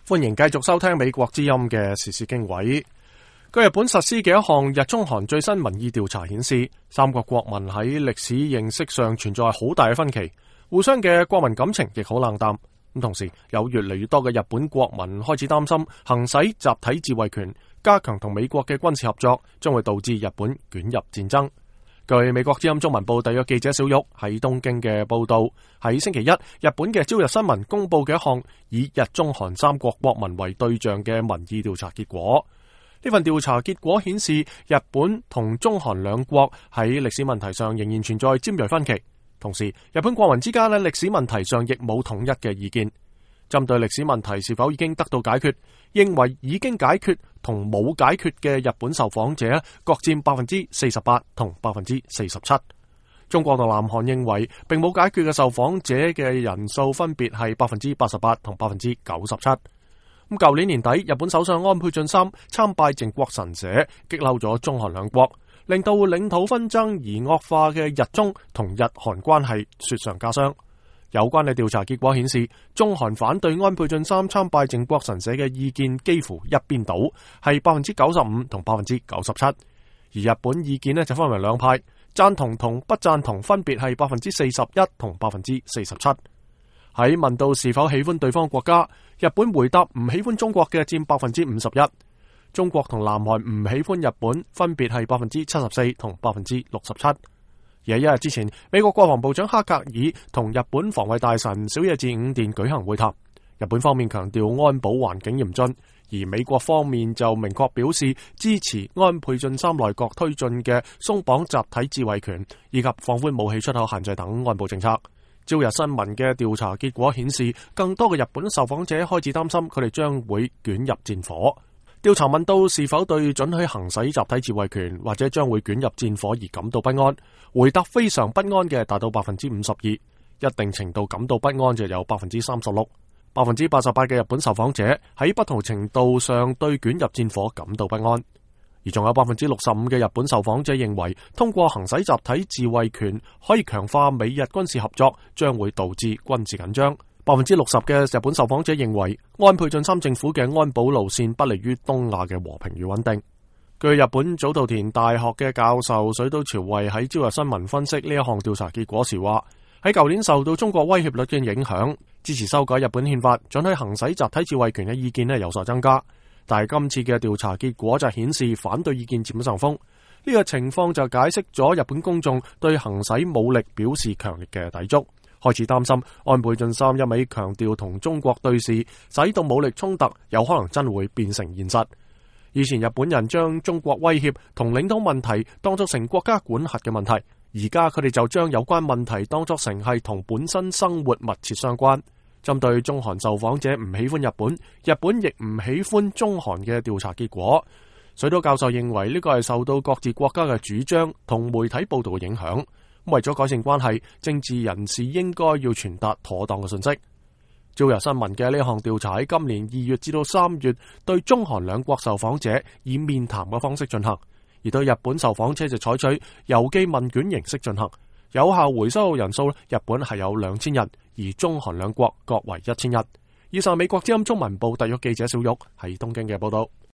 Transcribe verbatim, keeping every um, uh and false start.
歡迎繼續收聽美國之音嘅時事經緯。據日本實施嘅一項日中韓最新民意調查顯示，三國國民喺歷史認識上存在好大嘅分歧，互相嘅國民感情亦好冷淡。咁同時，有越嚟越多嘅日本國民開始擔心行使集體自衛權，加強同美國嘅軍事合作，將會導致日本捲入戰爭。據美國之音中文部特約記者小玉喺東京嘅報道，喺星期一，日本嘅朝日新聞公布嘅一項以日中韓三國國民為對象嘅民意調查結果。呢份調查結果顯示，日本同中韓兩國喺歷史問題上仍然存在尖銳分歧，同時日本國民之間喺歷史問題上亦冇統一嘅意見。針對歷史問題是否已經得到解決，認為已經解決同冇解決嘅日本受訪者各佔百分之四十八同百分之四十七。中國同南韓認為並冇解決嘅受訪者嘅人數分別係百分之八十八同百分之九十七。咁舊年年底，日本首相安倍晉三參拜靖國神社，激嬲咗中韓兩國，令到領土紛爭而惡化嘅日中同日韓關係雪上加霜。有關嘅調查結果顯示，中韓反對安倍晉三參拜靖國神社嘅意見幾乎一邊倒，係百分之九十五同百分之九十七。而日本意見呢就分為兩派，贊同同不贊同分別係百分之四十一同百分之四十七。喺問到是否喜歡對方國家，日本回答唔喜歡中國嘅佔百分之五十一，中國同南韓唔喜歡日本分別係百分之七十四同百分之六十七。而喺一日之前，美國國防部長克格爾同日本防衛大臣小野寺五殿舉行會談。日本方面強調安保環境嚴峻，而美國方面就明確表示支持安倍晉三內閣推進嘅鬆綁集體自衛權以及放寬武器出口限制等安保政策。朝日新聞嘅調查結果顯示，更多嘅日本受訪者開始擔心佢哋將會捲入戰火。調查問到是否對准許行使集體自衛權或者將會捲入戰火而感到不安，回答非常不安嘅達到百分之五十二，一定程度感到不安就有百分之三十六，百分之八十八嘅日本受訪者喺不同程度上對捲入戰火感到不安，而仲有百分之六十五嘅日本受訪者認為通過行使集體自衛權可以強化美日軍事合作，將會導致軍事緊張。百分之六十嘅日本受訪者認為安倍晉三政府嘅安保路線不利於東亞嘅和平與穩定。據日本早稻田大學嘅教授水島朝惠喺朝日新聞分析呢一項調查結果時話，喺舊年受到中國威脅率嘅影響，支持修改日本憲法准許行使集體自衛權嘅意見呢有所增加，但係今次嘅調查結果就顯示反對意見佔上風。呢個情況就解釋咗日本公眾對行使武力表示強烈嘅抵觸，開始擔心安倍晉三一味強調同中國對視，使到武力衝突有可能真會變成現實。以前日本人將中國威脅同領土問題當作成國家管轄嘅問題，而家佢哋就將有關問題當作成係同本身生活密切相關。針對中韓受訪者唔喜歡日本，日本亦唔喜歡中韓嘅調查結果，水島教授認為呢個係受到各自國家嘅主張同媒體報道嘅影響。為咗改善關係，政治人士應該要傳達妥當嘅信息。朝日新聞嘅呢項調查喺今年二月至到三月對中韓兩國受訪者以面談嘅方式進行，而對日本受訪者就採取郵寄問卷形式進行。有效回收人數，日本係有兩千人，而中韓兩國各為一千人。以上美國之音中文部特約記者小玉喺東京嘅報道。